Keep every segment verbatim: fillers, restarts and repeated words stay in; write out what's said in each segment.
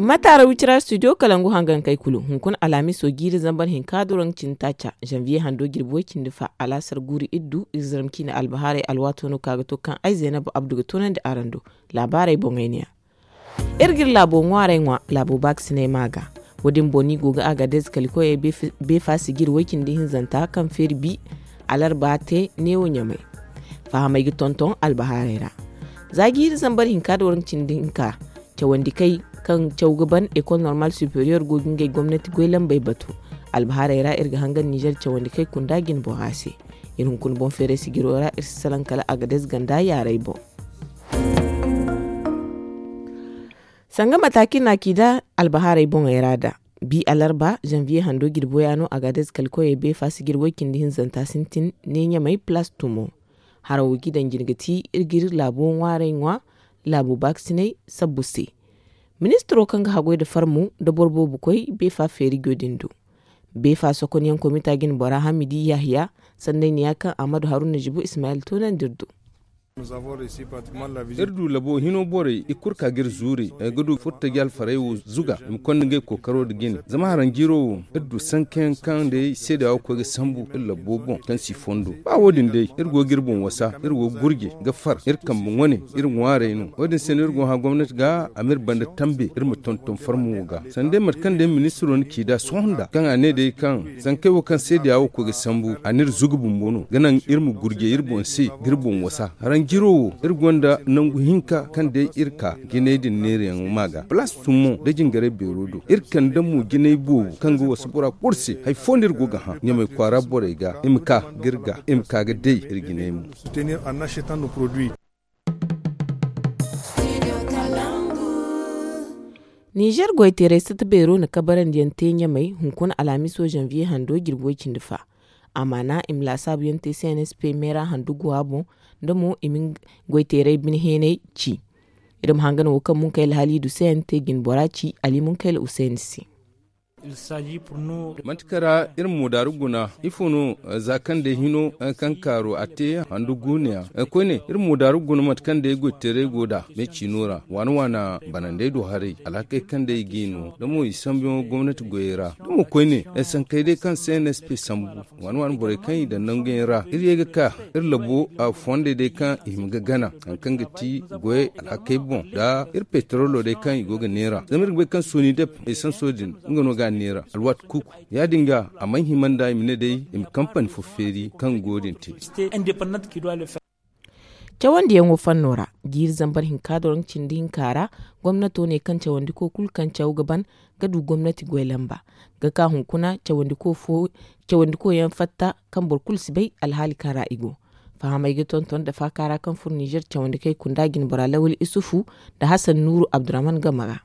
Mataara wicira studio kalangu hangankey kulu hunkuna alhamiso jiiri zambar hinka doroŋ cindi taaca, zanviye hando jirbi way cindi fa alaasar guuru iddu iri zarma ciine albahaarey alwaato no ka ga to kaŋ ay zaynab abdu ga toonandi araŋ do. Laabaarey boŋey ne ya. Iri ga iri laabo ŋwaaray ŋwa laabo baakasiney ma ga. Wo- din boŋ no i go ga agadez kalikoyey beefa sijiri way cindi hinzanta kaŋ feeri bi alarba te neewo ɲamay. Fahamey ga tonton albahaarey ra. Za jiiri zambar hinka da waranka cindi hinka, cawandi kay kaŋ caw ga ban ekol normal superior go ga ngey gomnati goy lambey batu. Albahaarey ra iri ga hangan nizer cawandi kay kunda jine bora se. Iri hunkuna boŋ feeray sijiro ra iri si salaŋ kala agadez ganda yaaray boŋ. Sanga mataaki na ci da albahaarey boŋey ra da bi alarba zanviye hando jirbo ya no agadez kalkoyey beefa sijiri way cindi hinzanta sintin ne ɲamay palaas tumo. Harawo ga i daŋ jine ga ti iri ga iri laabo ŋwaaray ŋwa laabo baakasiney sabbu se. Ministiro kaŋ ga haggoy nda farmu nda boro boobo koy beefa feerijo din do. Beefa sokonyaŋ komita jine bora hamidi yahya sanday ne ya kaŋ ahmadu haruna zibo ismayil toonandi iri do. Iri du labo hino borey i kulu ka ga iri zuuri ga du furtaji alfarey wo zuga i ma konda ngey kookaro nda jine zama haranjiiro wo iri du sankayaŋ kaŋ day seedeya wo koy ga sambu iri labo boŋ kaŋ si fondo ba wo- din day iri go ga iri boŋ wasa iri go ga gurje ga far iri kambe ŋwane iri ŋwaarey no wo- din se no iri go ga hã gomnati ga a ma iri banda tambe iri ma tonton farmo ga sanda day mate kaŋ day ministiro na ci nd'a sohõ nd'a kaŋ a ne day kaŋ sankey wo kaŋ seedeya wo koy ga sambu a n'iri zugu bumbo no ga naŋ iri ma gurjay iri boŋ se ga iri boŋ wasa haranjiro wo iri gonda nangu hinka kaŋ day iri ka jinay din neerayaŋ ma ga palaas tummo nda jingaray beero do iri kande mo jinay boobo kaŋ ga wasa bora kulu se hari fo no iri go ga hã ɲamay kwaara borey ga i ma ka ga iri ga i ma ka ga day iri jinay mo. Nizer goyteeray sata beero na kabarandiyaŋ te ɲamey hunkuna alhamiso zanviye hando jirbi way cindi fa. Amaana i ma laasaabuyaŋ te cnsp meera handu guwa boŋ nda mo i ma goyteeray bine heenay ci. Iri ma hangan wo kaŋ munkayla haliidu se yaŋ te jine bora ci ali munkayla usayni se. Manti kaŋ ra iri ma moodaaru guna ifo no? Za kaŋ day hino kaŋ kaaro a te handu guuneya koyne iri ma moodaaru guna mate kaŋ day goyteeray go nd'a meeciino ra waana waana banandey do haray alhakey kaŋ day i g'i no da mo i sambuyaŋo gomnati goyey ra da mo koyne sankey day kaŋ cnsp sambu waana waana borey kaŋ i daŋ nanguyaŋ ra iri ye ga ka iri labo fondey day kaŋ i hima ga gana hari kaŋ ga ti goyey alhakey boŋ nda iri petrolo day kaŋ i go ga neera zama iri ga bay kaŋ sooni dep esanso din nga no ga a neera alwaati kuuku ya- din ga a mana hima nd'a i ma ne day i ma kampani fo feeri kaŋ go din te. Cawandiyaŋo fanno ra jiiri zambar hinka doroŋ cindi hinka ra gomnato ne kaŋ cawandiko kulu kaŋ caw ga ban ga du gomnati goy lamba ga ka hunkuna cawandiko yaŋ fatta kaŋ boro kulu si bay alhaali kaŋ ra i go. Fahamey ga tonton nda faaka ra kaŋ furo nizer cawandikey kunda jine bora lawal isufu nda hasan nuuru abdurrahman game ra.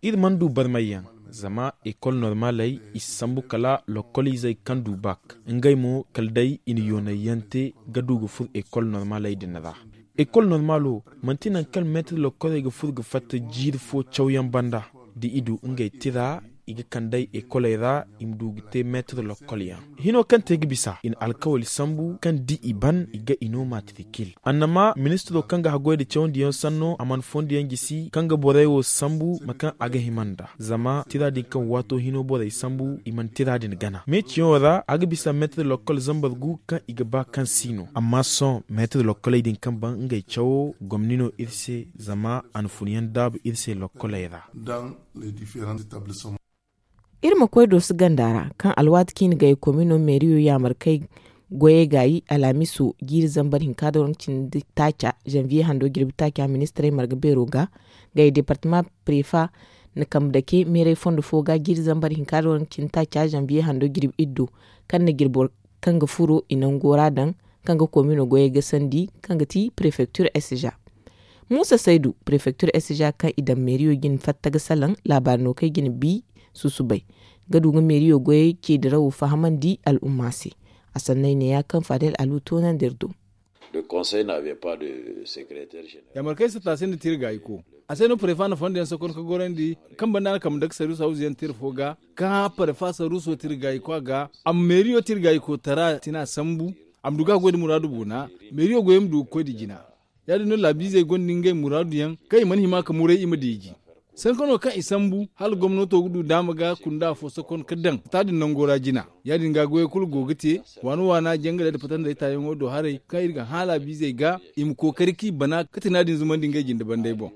Iri mana du barmayyaŋ zama ekol normaley i si sambu kala lokoliizey kaŋ du bak ngey mo kala day i na yoonayyaŋ te ga du ga furo ekol normaley din ra. Ekol normalo manti nangu kaŋ meetir lokoley ga furo ga fatta jiiri fo cawyaŋ banda da i du ngey tira i ga kand'ey ekoley ra i ma du ga te meetir lokolyaŋ hino kaŋ te ga bisa i na alkawali sambu kaŋ da i ban i ga i no matrikil annama ministiro kaŋ ga haggoy nda cawandiyaŋ sanno a mana fondiyaŋ jisi kaŋ ga borey wo sambu mate kaŋ a ga hima nd'a zama tira din kaŋ waato hino borey sambu i mana tira din gana meeciyaŋo ra a ga bisa meetir lokol zambar gu kaŋ i ga ba kaŋ si no amma sohõ meetir lokoley din kaŋ ban ngey cawo gomni no iri se zama a na funyaŋ daabu iri se lokoley ra. Iri ma koy dooso ganda ra kaŋ alwaati ciine gay komino meeriyo yaamar kay goyey gaayi alhamiso jiiri zambar hinka da waranka cindi taaca zanviye hando jirbi taaca ministirey marga beero ga gay departama prefa na kambe dake meeray fondo fo ga jiiri zambar hinka da waranka cindi taaca zanviye hando jirbi iddo kaŋ na jirbo kaŋ ga furo i nango ra daŋ kaŋ ga komino goyey gasandi kaŋ ga ti prefektir sja. Muusa saydu prefektir sja kaŋ i daŋ meeriyo jine fatta ga salaŋ laabaari no kaŋ i ga ni bi susubay ga du ga meeriyo goyey ceedirawo fahamandi al'umma se. A sanney ne ya kaŋ fadel alu toonandi iri do. Yaamar kaŋ ay si ta se nda tira gaayiko a se no parefa na fondo yaŋ sokon ka gorandi kaŋ banda a na kambe dake saruuso hawzu yaŋ tira fo ga ka hã parefa saruuso tira gaayiko a ga a ma meeriyo tira gaayiko tara tina sambu a ma du ga a goy nda muraadu boona meeriyo goyey ma du ga koy nda jina. Ya- din no laabiizey gonda ngey muraadu yaŋ kaŋ i mana hima ka muray i ma deeji. Sanka no kaŋ i sambu hala gomnato ga du daama ga kunda afo sokon ga daŋ fata din nango ra jina. Ya- din ga goyey kulu go ga te, waana waana jangaley nda fatandey taayaŋo do haray kaŋ iri ga haala biizey ga i ma kookari kaŋ i bana ga tana din zumandi ngey jinde bandey boŋ.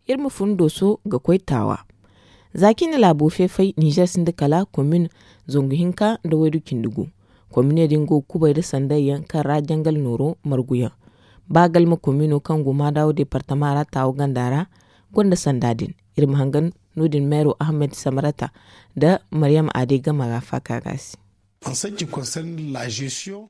Iri ma fun dooso ga koy taawa. Za cine laabo feefay ninzeer sinda kala komin zangu hinka nda waydu cindi gu. Komine din go ga kubay nda sanday yaŋ kaŋ ra jangal nooro margu yaŋ. Ba galma komino kaŋ go maadawo deepartama ra taawa ganda ra gonda sanda din. Iri ma hangan no- din meero ahmed samarata nda maryam aade gama ga faaka ga se.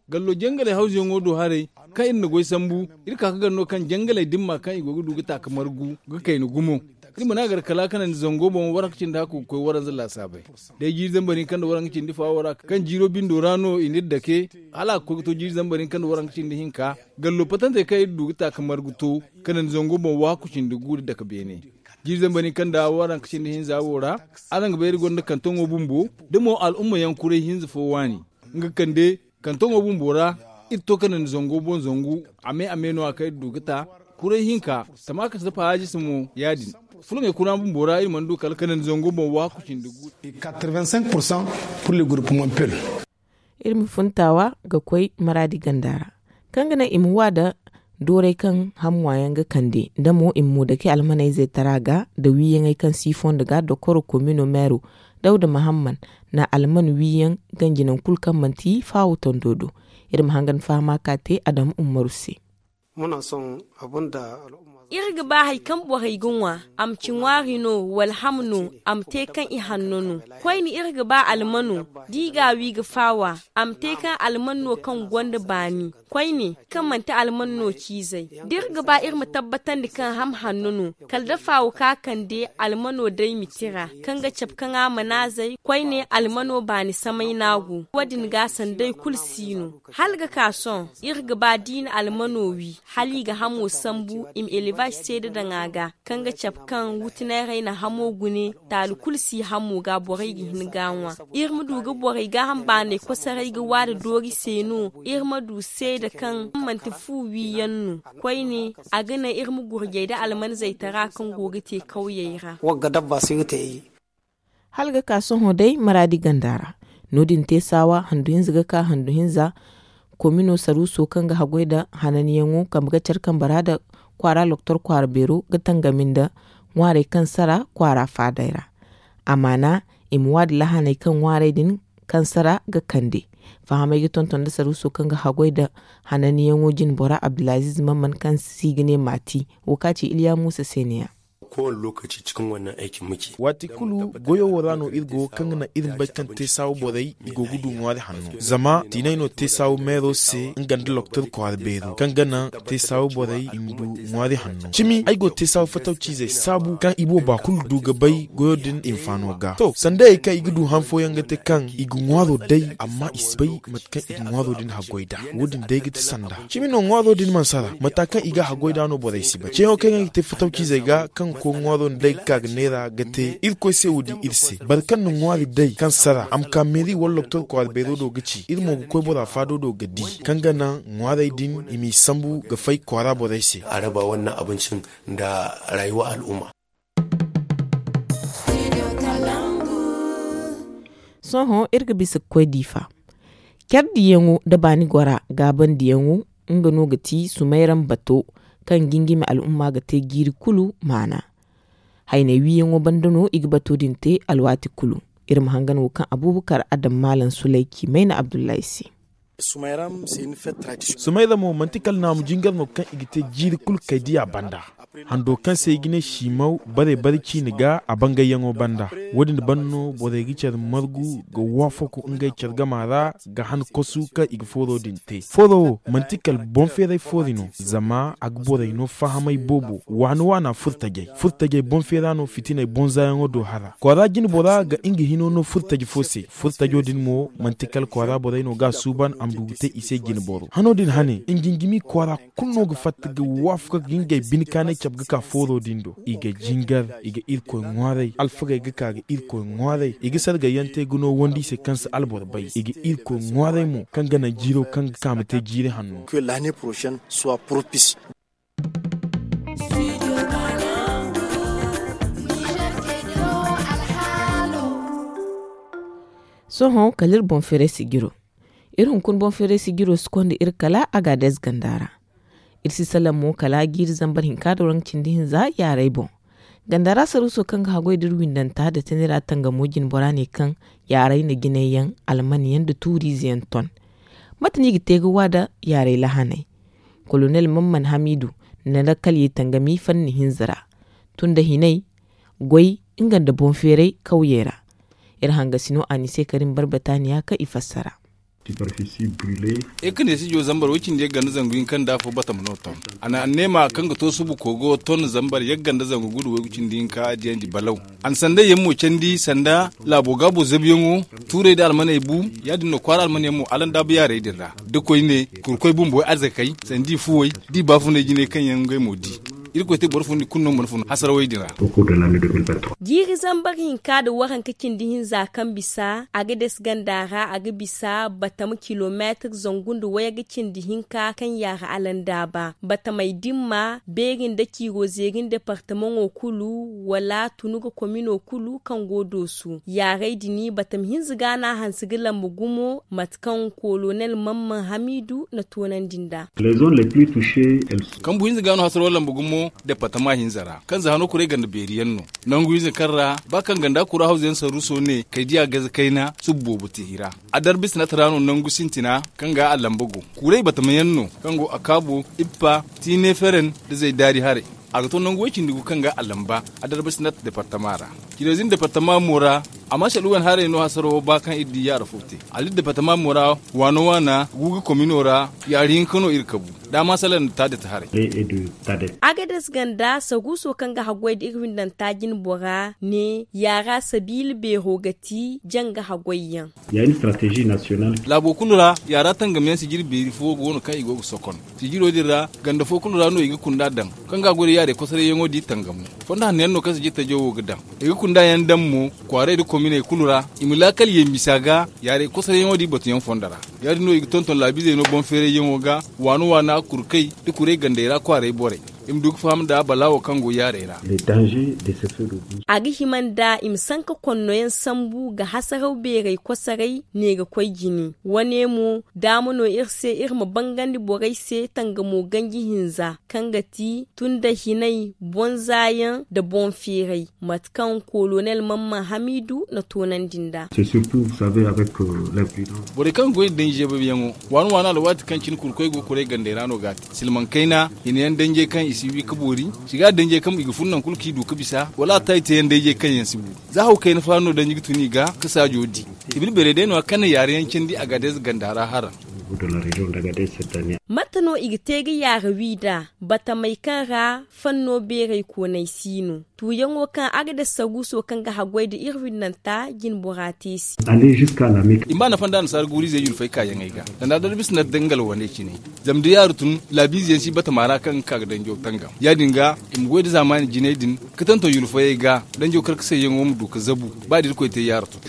Gallo jangaley hawzuyaŋo do haray, kaŋ iri na goy sambu, iri ka ga gar no kaŋ jangaley dimma kaŋ i go ga du ga taaka margu ga kayna gumo. Iri mana gar kala kanandi zango boŋ waranka cindi hakku ga koy waranza laasaabey. Day jiiri zambar hinka nda waranka cindi faawo ra kaŋ jiiro bindo ra no i n'iri dake, hala a ga koy ga to jiiri zambar hinka nda waranka cindi hinka. Gallo patantey kaŋ iri du ga taaka margu to kanandi zango boŋ waakku cindi gu nda dake beene. Jiiri zambar hinka nda waranka cindi hinza wo ra, araŋ ga bay iri gonda kantoŋo bumbo da mo al'umma yaŋ kuray hinza fo waani. Nga kande kantoŋo bumbo ra, iri to kanandi zango boŋ zangu a me a me no- ya kaŋ iri du ga ta. Kuray hinka, tama ka si dafa haajisa mo ya- din. Fulaŋey kuraŋ bumbo ra iri mana du kala kanandi zango boŋ waakku cindi gu. Iri ma fun taawa ga koy maraadi ganda ra, kaŋ ga naŋ i ma wa nda dooray kaŋ ham ŋwaayaŋ ga kande nda mo i ma mo dake almaney zaytara ga nda wiiyaŋey kaŋ si i fondo ga dokoro komino meero, dawda mahamman na alman wiiyaŋ ganji naŋ kulu kaŋ manti faawo tondo do. Iri ma hangan fahama ka te adam ummaru se. Iri ga ba hari kaŋ borey ga ŋwa, a ma ci ŋwaari no wala ham no, a ma te kaŋ i hanno no. Koyne iri ga ba almano da i ga a wi ga faawa, a ma te kaŋ alman no kaŋ gonda baani. Koyne kaŋ manti alman no ciizey, da iri ga ba iri ma tabbatandi kaŋ ham hanno no, kala da faawo ka kande almano day ma tira kaŋ ga cabe kaŋ a mana zay. Koyne almano baani samay no a go. Wo- din ga sanday kulu si no. Hala ga ka sohõ, iri ga ba da i na almano wi hala i ga hamo sambu i ma elebaz seeda daŋ a ga, kaŋ ga cabe kaŋ wutinayray na hamo gune. Taali kulu si hamo ga borey ga hin ga a ŋwa. Iri ma du ga borey gaaham baanay kosoray ga wa nda doori se no. Iri ma du seeda kaŋ manti fu wiiyaŋ no. Koyne, a ga naŋ iri ma gurjay nda almanzey tara kaŋ go ga te kawyey ra. Hala ga ka sohõ day maraadi ganda ra. No-din te saawa handu hinza ga ka handu hinza. Komino saruuso kaŋ ga haggoy nda hananyaŋo kambe ga care kambe ra nda kwaara loktor kwaara beero ga tangami nda ŋwaarey kaŋ sara kwaara faadey ra. Amaana, i ma waadi lahaney kaŋ ŋwaarey din kaŋ sara ga kande. Fahamey ga tonton nda saruuso kaŋ ga haggoy nda hananyaŋo jine bora abdulaziiz mamman kaŋ se i ga ne maati. Wo kaŋ a ci iliya muusa se ne- ya. Waati kulu goyo wo ra no iri go kaŋ ga naŋ iri ma bay kaŋ te saawa borey i go ga du ŋwaari hanno. Zama tiinay no te saawa meero se nga nda loktor kwaara beero kaŋ ga naŋ te saawa borey i ma du ŋwaari hanno. Cimi ay go ga te saawa fatawciizey saabu kaŋ i booba kulu du ga bay goyo din hinfaano ga to sandayey kaŋ i ga du han fooyaŋ ga te kaŋ i ga ŋwaaro day amma i si bay mate kaŋ i ga ŋwaaro din haggoy nd'a. Wo- din day ga ti sanda. Cimi no ŋwaaro din mana sara mata kaŋ i ga haggoy nd'a no borey si bay ceeyaŋo kaŋ yaŋ ga te fatawciizey ga kaŋ ga koy ŋwaaro nda day ga ka ga neera ga te irkoy se wo- din iri se boro kaŋ na ŋwaari day kaŋ sara a ma ka meeri wala loktor kwaara beero do ga ci iri mo ga koy bora faado do ga di kaŋ ga naŋ ŋwaarey din i m'i sambu ga fay kwaara borey se. Araba wannan abincin da rayuwa al'umma. Sohõ iri ga bisa ga koy diifa care diyaŋo nda baani gora gaabandiyaŋo. Nga no ga ti sumayram bato kaŋ gingimi al'umma ga te jiiri kulu maana. Haynay wiiyaŋo banda no i ga bato din te alwaati kulu. Iri ma hangan wo kaŋ abubakar adam maalam sulay ci mayna abdullahi se. Sumayra mo manti kala naamu jingar no kaŋ i ga te jiiri kulu kay diya banda. Hando kaŋ se i ga ne simaw bare bare ciine ga a bangayyaŋo banda. Wo- din banda no borey ga care margu ga waafaku ngey care gama ra ga han kosu kaŋ i ga fooro din te fooro wo manti kala boŋ feeray foori no. Zama a ga borey no fahamay boobo waana waana furtajey furtajey boŋ feera no fitiney boŋ zaayaŋo do hara kwaara jine bora ga nga hino no furtaji fo se. Furtajo din mo manti kala kwaara borey no ga a suuban a ma du ga te i se jine boro hano din hane nga nga mi kwaara kulu no ga fatta ga waafaku ga ngey bine kaanay. cabe ga ka fooro din do. I ga jingar, i ga irkoy ŋwaaray. Alfagey ga ka ga irkoy ŋwaaray. I ga sargayyaŋ te ga no wandi se kaŋ si alboro bay. I ga irkoy ŋwaaray mo kaŋ ga naŋ jiiro kaŋ ga ka ma te jiiri hanno. Sohõ kala iri boŋ feeray sijiro. Iri hunkuna boŋ feeray sijiro si konda iri kala agaades ganda ra. Iri si salaŋ mo kala jiiri zambar hinka nda waranka cindi hinza yaaray boŋ. Ganda ra saruuso kaŋ ga haggoy da iri windanta nda tanira tangamo jinbora ne kaŋ yaaray na jinay yaŋ, alman yaŋ nda tuuriize yaŋ ton. Mate no i ga te ga wa nda yaaray lahaney? Kolonel mamman hamiidu na lakkalye tangami fanni hinza ra, tun nda hinay, goy, nga nda boŋ feeray kawyey ra. Iri hangasino a ni se karim barbataaniya kaŋ i fassara. Iri ka ne sijo zambar way cindi yagga nda zangu hinka nda afo batama no ton. A na anneema kaŋ ga to subu kogo ton zambar yagga nda zangu gudu waygu cindi hinka a diyandi balaw. A na sandayyaŋ mo candi sanda laabo gaabo zabuyaŋo, tuurey nda almaney bu. Ya- din no kwaara almanyaŋ mo alanda ba yaarey din ra, da koyne kurkoy bumbo way arzakey sanda i fuwey, da i baafunay jinay kaŋ yaŋ ngey mo di. Irkoy te boro fo nda i kulu no mana fun hasarawey din ra. Jiiri zambar hinka nda waranka cindi hinza kaŋ bisa a ga des ganda ra a ga bisa batama kilomeetir zangu nda wayga cindi hinka kaŋ yaara alandaaba batamey dimma beeri nda ciiro zeeri nda departamaŋo kulu wala tunu ga komino kulu kaŋ go doosu yaaray din batama hinza ga no a hanse ga lamba gumo mate kaŋ kolonel mamman hamiidu na toonandi nd'a. Kambu hinza ga no hasaro lamba gumo departama hinza ra kaŋ za hano kuray ganda beeri yaŋ no. Nangu hinza kaŋ ra ba kaŋ ganda kura hawza yaŋ saruuso ne kay diya gaza kayna subu boobo te i ra. A darbi sinat ra no nangu sintina kaŋ ga a lamba go. Kuray batama yaŋ no kaŋ go a kaabo ippa tiine feren da zay daari haray. A ga to nangu way cindi gu kaŋ ga a lamba a darbi sinat departama ra. Cireezin departama mo ra. Amma saluwan haray no hasaro ba kaŋ iri di yaara fo te. Ali departama mo ra waana waana guuga komino ra yaari hinka no iri kabu. Dama salaŋ nda taadata haray. Agades ganda saguuso kaŋ ga haggoy nda iri windanta jinbora ne yaara sabiila beero ga ti janga haggoyyaŋ. Laabo kulu ra yaara tangamyaŋ sijiri beeri fo go no kaŋ i go ga sokon. Sijiro din ra ganda fo kulu ra no i ga kunda daŋ kaŋ ga a goy nda yaaray kosarayyaŋo di tangamo. Fondo hanno yaŋ no kaŋ sijiri tajo wo ga daŋ i ga kunda yaŋ daŋ mo. Kwaaray nda kominey kulu ra i ma laakal ye misa ga yaaray kosarayyaŋo di batuyaŋ fondo ra. Ya- din no i ga tonton laabiizey no boŋ feerayyaŋo ga waana waana kurkay nda kuray gandey ra kwaaray borey. I ma du ga faham nda balaawo kaŋ go yaaray ra. A ga hima nda i ma sanka konnoyaŋ sambu ga hasaraw beeray kosaray ne ga koy jine. Wane mo daama no iri se iri ma bangandi borey se tangamo ganji hinza kaŋ ga ti tun nda hinay boŋ zaayaŋ nda boŋ feeray mate kaŋ kolonel mamman hamiidu na toonandi nd'a. Borey kaŋ ga goy nda daŋ zeebayaŋo waana waana alwaati kaŋ cine kurkoy go ga kuray gandey ra no ga a te silmaŋ kayna hinayaŋ danjey kaŋ i si wi ga boori. Siga danjey kaŋ i ga fun naŋ kulu kaŋ i du ga bisa wala a ta i teeyaŋ danjey kaŋ yaŋ si bu. Za haw kayna faari no danji ga tun i ga ga saajo di. Ibri beerey day no a kaŋ na yaara yaŋ candi a ga day za ganda ra haraŋ. Mate no i ga te ga yaara wi nd'a batamey kaŋ ra fanno beerey koonay si no. Tuuyaŋo kaŋ a ga daŋ saguuso kaŋ ga haggoy nda iri winnanta jinbora te se. I ma ba nafa nda annasaara guuru-izey yulfey kaayaŋey ga sanda darbisi na dangal wane cine. Zama da yaaru tun laabiize yaŋ si batama ra kaŋ ga ka ga danjo tangam ya- din ga i ma goy nda zaamaani jinay din ga tanto yulfayey ga danjo karkasayyaŋo ma du ga zabu. Ba da irkoy te yaaru tun.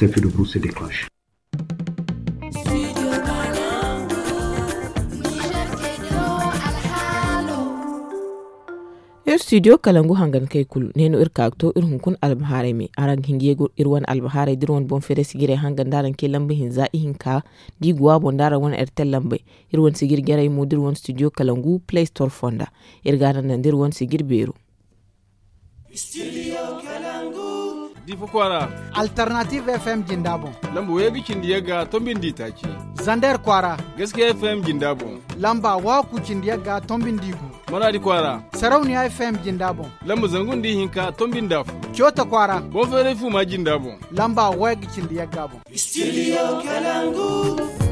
Iri studio kalangu hangan kay kulu ne no iri ka ga to iri hunkuna albahaarey me araŋ ga hin ga ye ga iri wane albahaarey da iri wane boŋ feeray sijirey hangan da araŋ ce lamba hinza ihinka da i go a boŋ da araŋ wane ertel lambey. Iri wane sijir jarey mo da iri wane studio kalangu play store fonda. Iri ga a naŋ naŋ da iri wane sijir beero. Difa kwaara. Alternative fm jinda boŋ. Lamba wayga cindi yagga tombi nda itaaci. Zander kwaara. Gaskiya fm jinda boŋ. Lamba waku cindi yagga tombi nda igu. Maradi kwaara. Sarauniya fm jinda boŋ. Lamba zangu nda ihinka tombi nda afo. Cota kwaara. Boŋ feeray fuma jinda boŋ. Lamba wayga cindi yagga boŋ. Studio kalangu.